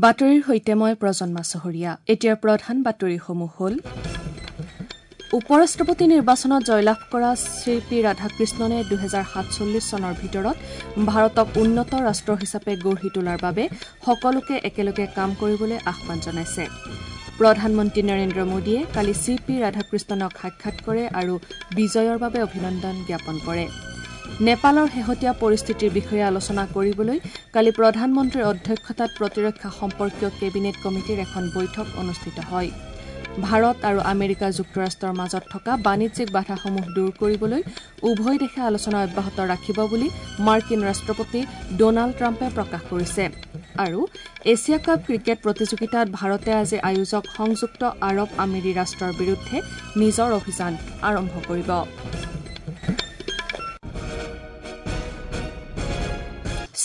বাতৰিৰ সৈতে মই প্ৰজন্মা চহৰীয়া। এতিয়াৰ প্ৰধান বাতৰিসমূহ হ'ল: উপ-ৰাষ্ট্ৰপতি নিৰ্বাচনত জয়লাভ কৰা শ্ৰী পি ৰাধাকৃষ্ণনে 2047 চনৰ ভিতৰত ভাৰতক উন্নত ৰাষ্ট্ৰ হিচাপে গঢ়ি তোলাৰ বাবে সকলোকে একেলগে কাম কৰিবলৈ আহ্বান জনাইছে। প্ৰধানমন্ত্ৰী নৰেন্দ্ৰ মোদীয়ে কালি চি পি ৰাধাকৃষ্ণনক সাক্ষাৎ কৰে আৰু বিজয়ৰ বাবে অভিনন্দন জ্ঞাপন কৰে। নেপালৰ শেহতীয়া পৰিস্থিতিৰ বিষয়ে আলোচনা কৰিবলৈ কালি প্ৰধানমন্ত্ৰীৰ অধ্যক্ষতাত প্ৰতিৰক্ষা সম্পৰ্কীয় কেবিনেট কমিটিৰ এখন বৈঠক অনুষ্ঠিত হয়। ভাৰত আৰু আমেৰিকা যুক্তৰাষ্ট্ৰৰ মাজত থকা বাণিজ্যিক বাধাসমূহ দূৰ কৰিবলৈ উভয় দেশে আলোচনা অব্যাহত ৰাখিব বুলি মাৰ্কিন ৰাষ্ট্ৰপতি ডনাল্ড ট্ৰাম্পে প্ৰকাশ কৰিছে। আৰু এছিয়া কাপ ক্ৰিকেট প্ৰতিযোগিতাত ভাৰতে আজি আয়োজক সংযুক্ত আৰৱ আমিৰি ৰাষ্ট্ৰৰ বিৰুদ্ধে নিজৰ অভিযান আৰম্ভ কৰিব।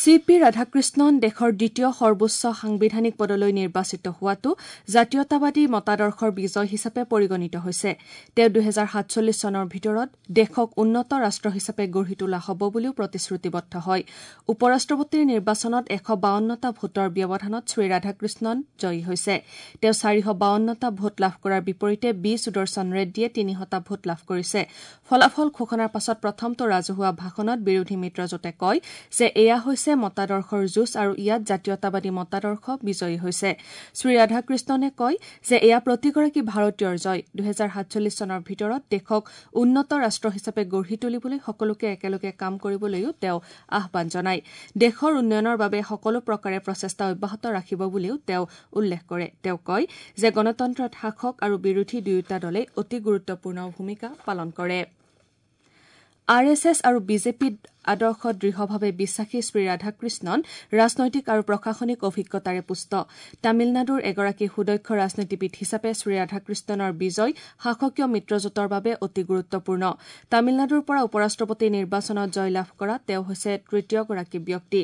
চি পি ৰাধাকৃষ্ণন দেশৰ দ্বিতীয় সৰ্বোচ্চ সাংবিধানিক পদলৈ নিৰ্বাচিত হোৱাটো জাতীয়তাবাদী মতাদৰ্শৰ বিজয় হিচাপে পৰিগণিত হৈছে। তেওঁ 2047 চনৰ ভিতৰত দেশক উন্নত ৰাষ্ট্ৰ হিচাপে গঢ়ি তোলা হ'ব বুলিও প্ৰতিশ্ৰুতিবদ্ধ হয়। উপ-ৰাষ্ট্ৰপতিৰ নিৰ্বাচনত 152টা ভোটৰ ব্যৱধানত শ্ৰী ৰাধাকৃষ্ণন জয়ী হৈছে। তেওঁ 452টা ভোট লাভ কৰাৰ বিপৰীতে বি সুদৰ্শন ৰেড্ডীয়ে 300টা ভোট লাভ কৰিছে। ফলাফল ঘোষণাৰ পাছত প্ৰথমটো ৰাজহুৱা ভাষণত বিৰোধী মিত্ৰজোঁটে কয় যে এয়া হৈছে মতাদৰ্শৰ যুঁজ আৰু ইয়াত জাতীয়তাবাদী মতাদৰ্শ বিজয়ী হৈছে। শ্ৰী ৰাধাকৃষ্ণনে কয় যে এয়া প্ৰতিগৰাকী ভাৰতীয়ৰ জয়। 2047 চনৰ ভিতৰত দেশক উন্নত ৰাষ্ট্ৰ হিচাপে গঢ়ি তুলিবলৈ সকলোকে একেলগে কাম কৰিবলৈও তেওঁ আহ্বান জনায়। দেশৰ উন্নয়নৰ বাবে সকলো প্ৰকাৰে প্ৰচেষ্টা অব্যাহত ৰাখিব বুলিও তেওঁ উল্লেখ কৰে। তেওঁ কয় যে গণতন্ত্ৰত শাসক আৰু বিৰোধী দুয়োটা দলেই অতি গুৰুত্বপূৰ্ণ ভূমিকা পালন কৰে। আৰ এছ এছ আৰু বিজেপি আদৰ্শত দৃঢ়ভাৱে বিশ্বাসী শ্ৰী ৰাধাকৃষ্ণন ৰাজনৈতিক আৰু প্ৰশাসনিক অভিজ্ঞতাৰে পুষ্ট। তামিলনাডুৰ এগৰাকী সুদক্ষ ৰাজনীতিবিদ হিচাপে শ্ৰী ৰাধাকৃষ্ণনৰ বিজয় শাসকীয় মিত্ৰজোঁটৰ বাবে অতি গুৰুত্বপূৰ্ণ। তামিলনাডুৰ পৰা উপ-ৰাষ্ট্ৰপতি নিৰ্বাচনত জয়লাভ কৰা তেওঁ হৈছে তৃতীয়গৰাকী ব্যক্তি।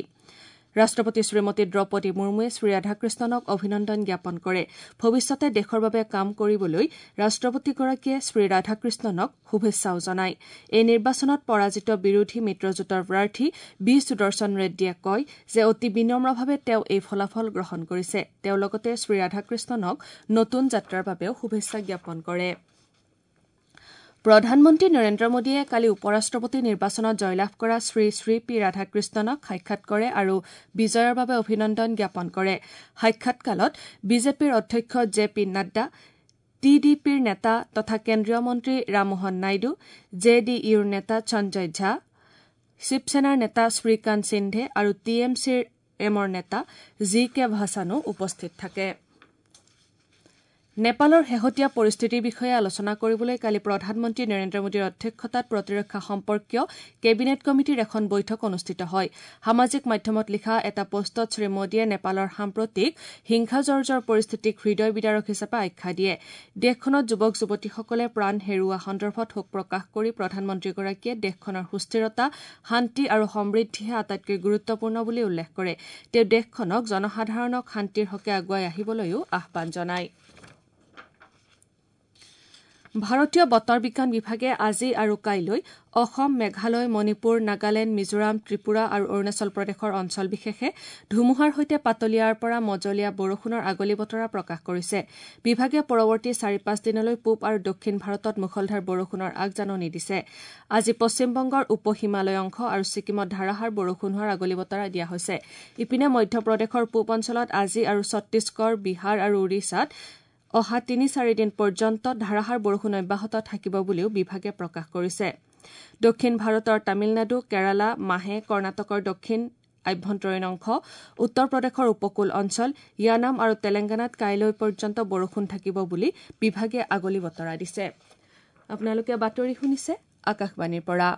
ৰাষ্ট্ৰপতি শ্ৰীমতী দ্ৰৌপদী মুৰ্মুৱে শ্ৰী ৰাধাকৃষ্ণনক অভিনন্দন জ্ঞাপন কৰে। ভৱিষ্যতে দেশৰ বাবে কাম কৰিবলৈ ৰাষ্ট্ৰপতিগৰাকীয়ে শ্ৰী ৰাধাকৃষ্ণনক শুভেচ্ছাও জনায়। এই নিৰ্বাচনত পৰাজিত বিৰোধী মিত্ৰজোঁটৰ প্ৰাৰ্থী বি সুদৰ্শন ৰেড্ডীয়ে কয় যে অতি বিনম্ৰভাৱে তেওঁ এই ফলাফল গ্ৰহণ কৰিছে। তেওঁ লগতে শ্ৰী ৰাধাকৃষ্ণনক নতুন যাত্ৰাৰ বাবেও শুভেচ্ছা জ্ঞাপন কৰে। প্ৰধানমন্ত্ৰী নৰেন্দ্ৰ মোদীয়ে কালি উপ-ৰাষ্ট্ৰপতি নিৰ্বাচনত জয়লাভ কৰা শ্ৰী শ্ৰী পি ৰাধাকৃষ্ণনক সাক্ষাৎ কৰে আৰু বিজয়ৰ বাবে অভিনন্দন জ্ঞাপন কৰে। সাক্ষাৎকালত বিজেপিৰ অধ্যক্ষ J P Nadda, T D পিৰ নেতা তথা কেন্দ্ৰীয় মন্ত্ৰী ৰামমোহন নাইডু, জে ডি ইউৰ নেতা সঞ্জয় ঝা, শিৱসেনাৰ নেতা শ্ৰীকান্ত সিন্ধে আৰু টি এম চিৰ এমৰ নেতা জি কে ভাছানো উপস্থিত থাকে। নেপালৰ শেহতীয়া পৰিস্থিতিৰ বিষয়ে আলোচনা কৰিবলৈ কালি প্ৰধানমন্ত্ৰী নৰেন্দ্ৰ মোদীৰ অধ্যক্ষতাত প্ৰতিৰক্ষা সম্পৰ্কীয় কেবিনেট কমিটিৰ এখন বৈঠক অনুষ্ঠিত হয়। সামাজিক মাধ্যমত লিখা এটা পোষ্টত শ্ৰী মোদীয়ে নেপালৰ সাম্প্ৰতিক হিংসাজৰ্জৰ পৰিস্থিতিক হৃদয় বিদাৰক হিচাপে আখ্যা দিয়ে। দেশখনত যুৱক যুৱতীসকলে প্ৰাণ হেৰুওৱা সন্দৰ্ভত শোক প্ৰকাশ কৰি প্ৰধানমন্ত্ৰীগৰাকীয়ে দেশখনৰ সুস্থিৰতা, শান্তি আৰু সমৃদ্ধিহে আটাইতকৈ গুৰুত্বপূৰ্ণ বুলি উল্লেখ কৰে। তেওঁ দেশখনক জনসাধাৰণক শান্তিৰ হকে আগুৱাই আহিবলৈও আহ্বান জনায়। ভাৰতীয় বতৰ বিজ্ঞান বিভাগে আজি আৰু কাইলৈ অসম, মেঘালয়, মণিপুৰ, নাগালেণ্ড, মিজোৰাম, ত্ৰিপুৰা আৰু অৰুণাচল প্ৰদেশৰ অঞ্চল বিশেষে ধুমুহাৰ সৈতে পাতলীয়াৰ পৰা মজলীয়া বৰষুণৰ আগলি বতৰা প্ৰকাশ কৰিছে। বিভাগে পৰৱৰ্তী 4-5 দিনলৈ পূব আৰু দক্ষিণ ভাৰতত মুষলধাৰ বৰষুণৰ আগজাননী দিছে। আজি পশ্চিমবংগৰ উপ হিমালয় অংশ আৰু ছিকিমত ধাৰাসাৰ বৰষুণ হোৱাৰ আগলি বতৰা দিয়া হৈছে। ইপিনে মধ্যপ্ৰদেশৰ পূব অঞ্চলত আজি আৰু ছত্তীশগড়, বিহাৰ আৰু ওড়িশাত অহা 3-4 দিন পৰ্যন্ত ধাৰাসাৰ বৰষুণ অব্যাহত থাকিব বুলিও বিভাগে প্ৰকাশ কৰিছে। দক্ষিণ ভাৰতৰ তামিলনাডু, কেৰালা, মাহে, কৰ্ণাটকৰ দক্ষিণ আভ্যন্তৰীণ অংশ, উত্তৰ প্ৰদেশৰ উপকূল অঞ্চল, য়ানাম আৰু তেলেংগানাত কাইলৈ পৰ্যন্ত বৰষুণ থাকিব বুলি বিভাগে আগলি বতৰা দিছে। আপোনালোকে বাতৰি শুনিছে আকাশবাণীৰ পৰা।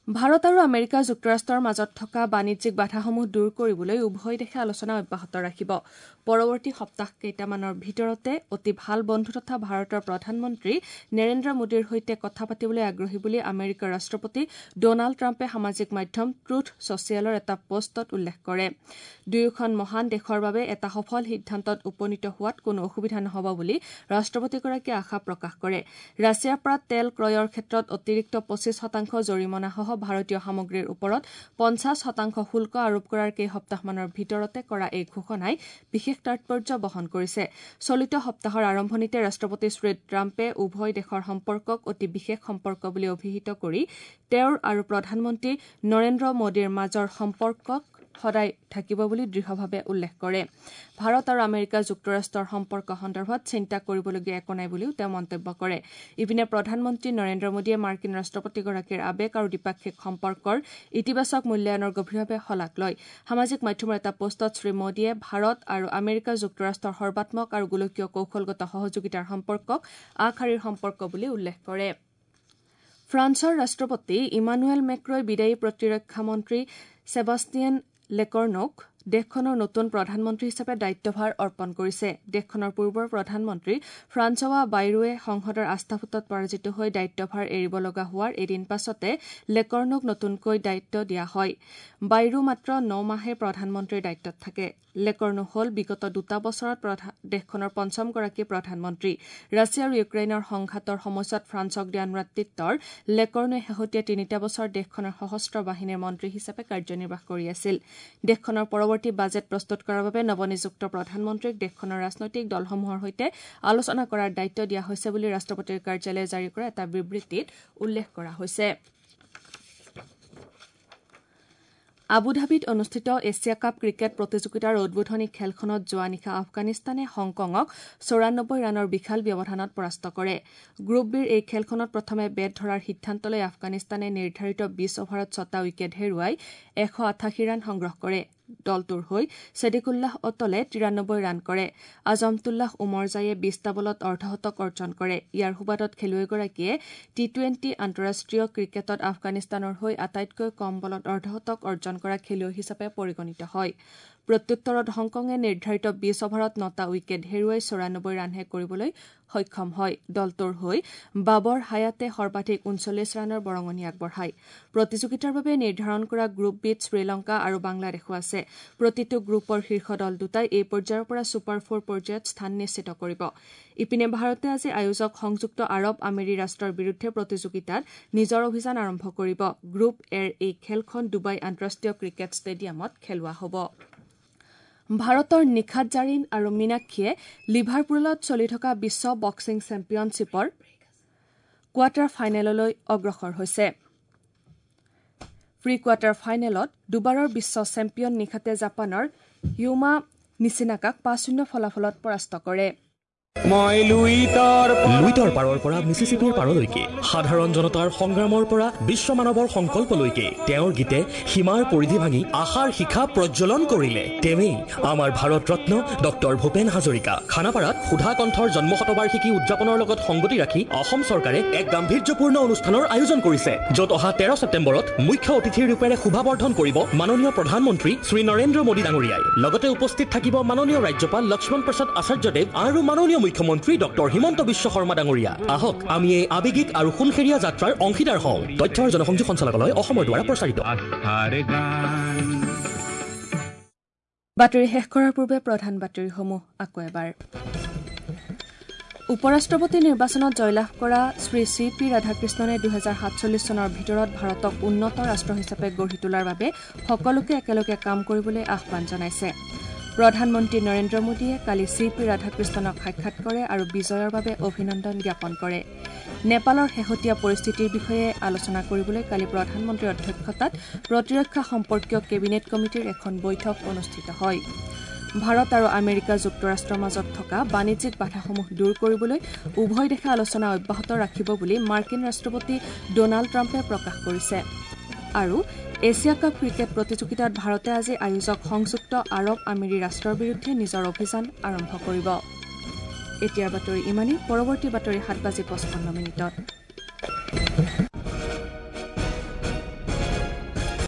ভাৰত আৰু আমেৰিকা যুক্তৰাষ্ট্ৰৰ মাজত থকা বাণিজ্যিক বাধাসমূহ দূৰ কৰিবলৈ উভয় দেশে আলোচনা অব্যাহত ৰাখিব। পৰৱৰ্তী সপ্তাহ কেইটামানৰ ভিতৰতে অতি ভাল বন্ধু তথা ভাৰতৰ প্ৰধানমন্ত্ৰী নৰেন্দ্ৰ মোদীৰ সৈতে কথা পাতিবলৈ আগ্ৰহী বুলি আমেৰিকাৰ ৰাষ্ট্ৰপতি ডনাল্ড ট্ৰাম্পে সামাজিক মাধ্যম ট্ৰুথ ছচিয়েলৰ এটা পোষ্টত উল্লেখ কৰে। দুয়োখন মহান দেশৰ বাবে এটা সফল সিদ্ধান্তত উপনীত হোৱাত কোনো অসুবিধা নহ'ব বুলি ৰাষ্ট্ৰপতিগৰাকীয়ে আশা প্ৰকাশ কৰে। ৰাছিয়াৰ পৰা তেল ক্ৰয়ৰ ক্ষেত্ৰত অতিৰিক্ত 25% জৰিমনাসহ ভাৰতীয় সামগ্ৰীৰ ওপৰত 50% শুল্ক আৰোপ কৰাৰ কেইসপ্তাহমানৰ ভিতৰতে কৰা এই ঘোষণাই বিশেষ তাৎপৰ্য বহন কৰিছে। চলিত সপ্তাহৰ আৰম্ভণিতে ৰাষ্ট্ৰপতি শ্ৰী ট্ৰাম্পে উভয় দেশৰ সম্পৰ্কক অতি বিশেষ সম্পৰ্ক বুলি অভিহিত কৰি তেওঁৰ আৰু প্ৰধানমন্ত্ৰী নৰেন্দ্ৰ মোদীৰ মাজৰ সম্পৰ্কক সদায় থাকিব বুলি দৃঢ়ভাৱে উল্লেখ কৰে। ভাৰত আৰু আমেৰিকা যুক্তৰাষ্ট্ৰৰ সম্পৰ্ক সন্দৰ্ভত চিন্তা কৰিবলগীয়া একো নাই বুলিও তেওঁ মন্তব্য কৰে। ইপিনে প্ৰধানমন্ত্ৰী নৰেন্দ্ৰ মোদীয়ে মাৰ্কিন ৰাষ্ট্ৰপতিগৰাকীৰ আৱেগ আৰু দ্বিপাক্ষিক সম্পৰ্কৰ ইতিবাচক মূল্যায়নৰ গভীৰভাৱে শলাগ লয়। সামাজিক মাধ্যমৰ এটা পোষ্টত শ্ৰী মোদীয়ে ভাৰত আৰু আমেৰিকা যুক্তৰাষ্ট্ৰৰ সৰ্বাত্মক আৰু গোলকীয় কৌশলগত সহযোগিতাৰ সম্পৰ্কক আগশাৰীৰ সম্পৰ্ক বুলি উল্লেখ কৰে। ফ্ৰান্সৰ ৰাষ্ট্ৰপতি ইমানুৱেল মেক্ৰই বিদায়ী প্ৰতিৰক্ষা মন্ত্ৰী ছেবাষ্টিয়ান লেকৰ্ণক দেশখনৰ নতুন প্ৰধানমন্ত্ৰী হিচাপে দায়িত্বভাৰ অৰ্পণ কৰিছে। দেশখনৰ পূৰ্বৰ প্ৰধানমন্ত্ৰী ফ্ৰান্সোৱা বাইৰুৱে সংসদৰ আস্থাভোটত পৰাজিত হৈ দায়িত্বভাৰ এৰিব লগা হোৱাৰ এদিন পাছতে লেকৰ্ণক নতুনকৈ দায়িত্ব দিয়া হয়। বাইৰু মাত্ৰ 9 মাহে প্ৰধানমন্ত্ৰীৰ দায়িত্বত থাকে। লেকৰ্ণো হ'ল বিগত 2 বছৰত দেশখনৰ পঞ্চমগৰাকী প্ৰধানমন্ত্ৰী। ৰাছিয়া আৰু ইউক্ৰেইনৰ সংঘাতৰ সময়ছোৱাত ফ্ৰান্সক দিয়া নেতৃত্বৰ লেকৰ্ণোৱে শেহতীয়া 3 বছৰ দেশখনৰ সশস্ত্ৰ বাহিনীৰ মন্ত্ৰী হিচাপে কাৰ্যনিৰ্বাহ কৰি আছিল। দেশখনৰ পৰৱৰ্তী বাজেট প্ৰস্তুত কৰাৰ বাবে নৱনিযুক্ত প্ৰধানমন্ত্ৰীক দেশখনৰ ৰাজনৈতিক দলসমূহৰ সৈতে আলোচনা কৰাৰ দায়িত্ব দিয়া হৈছে বুলি ৰাষ্ট্ৰপতিৰ কাৰ্যালয়ে জাৰি কৰা এটা বিবৃতিত উল্লেখ কৰা হৈছে। আবুধাবিত অনুষ্ঠিত এছিয়া কাপ ক্ৰিকেট প্ৰতিযোগিতাৰ উদ্বোধনী খেলখনত যোৱা নিশা আফগানিস্তানে হংকঙক 94 ৰানৰ বিশাল ব্যৱধানত পৰাস্ত কৰে। গ্ৰুপ বিৰ এই খেলখনত প্ৰথমে বেট ধৰাৰ সিদ্ধান্ত লৈ আফগানিস্তানে নিৰ্ধাৰিত 20 অভাৰত 6টা উইকেট হেৰুৱাই 188 ৰান সংগ্ৰহ কৰে। দলটোৰ হৈ ছেদিকুল্লাহ অটলে 93 ৰান কৰে। আজমতুল্লাহ উমৰজাইয়ে 20টা বলত অৰ্ধশতক অৰ্জন কৰে। ইয়াৰ সুবাদত খেলুৱৈগৰাকীয়ে টি-20 আন্তঃৰাষ্ট্ৰীয় ক্ৰিকেটত আফগানিস্তানৰ হৈ আটাইতকৈ কম বলত অৰ্ধশতক অৰ্জন কৰা খেলুৱৈ হিচাপে পৰিগণিত হয়। প্ৰত্যুত্তৰত হংকঙে নিৰ্ধাৰিত 20 অভাৰত 9টা উইকেট হেৰুৱাই 94 ৰানহে কৰিবলৈ সক্ষম হয়। দলটোৰ হৈ বাবৰ হায়াতে সৰ্বাধিক 39 ৰানৰ বৰঙণি আগবঢ়ায়। প্ৰতিযোগিতাৰ বাবে নিৰ্ধাৰণ কৰা গ্ৰুপ বিত শ্ৰীলংকা আৰু বাংলাদেশো আছে। প্ৰতিটো গ্ৰুপৰ শীৰ্ষ দল দুটাই এই পৰ্যায়ৰ পৰা ছুপাৰ ফ'ৰ পৰ্যায়ত স্থান নিশ্চিত কৰিব। ইপিনে ভাৰতে আজি আয়োজক সংযুক্ত আৰৱ আমিৰী ৰাষ্ট্ৰৰ বিৰুদ্ধে প্ৰতিযোগিতাত নিজৰ অভিযান আৰম্ভ কৰিব। গ্ৰুপ এৰ এই খেলখন ডুবাই আন্তঃৰাষ্ট্ৰীয় ক্ৰিকেট ষ্টেডিয়ামত খেলোৱা হ'ব। ভাৰতৰ নিখাত জাৰিন আৰু মীনাক্ষীয়ে লিভাৰপুলত চলি থকা বিশ্ব বক্সিং চেম্পিয়নশ্বিপৰ কোৱাৰ্টাৰ ফাইনেললৈ অগ্ৰসৰ হৈছে। প্ৰি কোৱাৰ্টাৰ ফাইনেলত দুবাৰৰ বিশ্ব চেম্পিয়ন নিখাতে জাপানৰ য়ুমা নিচিনাকাক 5-0 ফলাফলত পৰাস্ত কৰে। লুইতৰ পাৰৰ পৰা মিচিচিপিৰ পাৰলৈকে, সাধাৰণ জনতাৰ সংগ্ৰামৰ পৰা বিশ্ব মানৱৰ সংকল্পলৈকে তেওঁৰ গীতে সীমাৰ পৰিধি ভাঙি আশাৰ শিখা প্ৰজ্বলন কৰিলে। তেওঁৱেই আমাৰ ভাৰত ৰত্ন ডক্টৰ ভূপেন হাজৰিকা। খানাপাৰাত সুধাকণ্ঠৰ জন্ম শতবাৰ্ষিকী উদযাপনৰ লগত সংগতি ৰাখি অসম চৰকাৰে এক গাম্ভীৰ্যপূৰ্ণ অনুষ্ঠানৰ আয়োজন কৰিছে, য'ত অহা 13 ছেপ্টেম্বৰত মুখ্য অতিথিৰ ৰূপেৰে শোভাবৰ্ধন কৰিব মাননীয় প্ৰধানমন্ত্ৰী শ্ৰী নৰেন্দ্ৰ মোদী ডাঙৰীয়াই। লগতে উপস্থিত থাকিব মাননীয় ৰাজ্যপাল লক্ষ্মণ প্ৰসাদ আচাৰ্যদেৱ আৰু মাননীয় মুখ্যমন্ত্ৰী ডক্টৰ হিমন্ত বিশ্ব শৰ্মা ডাঙৰীয়া। আহক আমি এই আৱেগিক আৰু সোণসেৰীয়া যাত্ৰাৰ অংশীদাৰ হওঁ। তথ্য আৰু জনসংযোগ সঞ্চালকালয় অসমৰ দ্বাৰা প্ৰচাৰিত। বাতৰি শেষ কৰাৰ পূৰ্বে প্ৰধান বাতৰিসমূহ আকৌ এবাৰ। উপ-ৰাষ্ট্ৰপতি নিৰ্বাচনত জয়লাভ কৰা শ্ৰী চি পি ৰাধাকৃষ্ণনে 2047 চনৰ ভিতৰত ভাৰতক উন্নত ৰাষ্ট্ৰ হিচাপে গঢ়ি তোলাৰ বাবে সকলোকে একেলগে কাম কৰিবলৈ আহ্বান জনাইছে। প্ৰধানমন্ত্ৰী নৰেন্দ্ৰ মোদীয়ে কালি চি পি ৰাধাকৃষ্ণনক সাক্ষাৎ কৰে আৰু বিজয়ৰ বাবে অভিনন্দন জ্ঞাপন কৰে। নেপালৰ শেহতীয়া পৰিস্থিতিৰ বিষয়ে আলোচনা কৰিবলৈ কালি প্ৰধানমন্ত্ৰীৰ অধ্যক্ষতাত প্ৰতিৰক্ষা সম্পৰ্কীয় কেবিনেট কমিটিৰ এখন বৈঠক অনুষ্ঠিত হয়। ভাৰত আৰু আমেৰিকা যুক্তৰাষ্ট্ৰৰ মাজত থকা বাণিজ্যিক বাধাসমূহ দূৰ কৰিবলৈ উভয় দেশে আলোচনা অব্যাহত ৰাখিব বুলি মাৰ্কিন ৰাষ্ট্ৰপতি ডনাল্ড ট্ৰাম্পে প্ৰকাশ কৰিছে। আৰু এছিয়া কাপ ক্ৰিকেট প্ৰতিযোগিতাত ভাৰতে আজি আয়োজক সংযুক্ত আৰৱ আমিৰী ৰাষ্ট্ৰৰ বিৰুদ্ধে নিজৰ অভিযান আৰম্ভ কৰিব। এতিয়াৰ বাতৰি ইমানেই। পৰৱৰ্তী বাতৰি 7:55।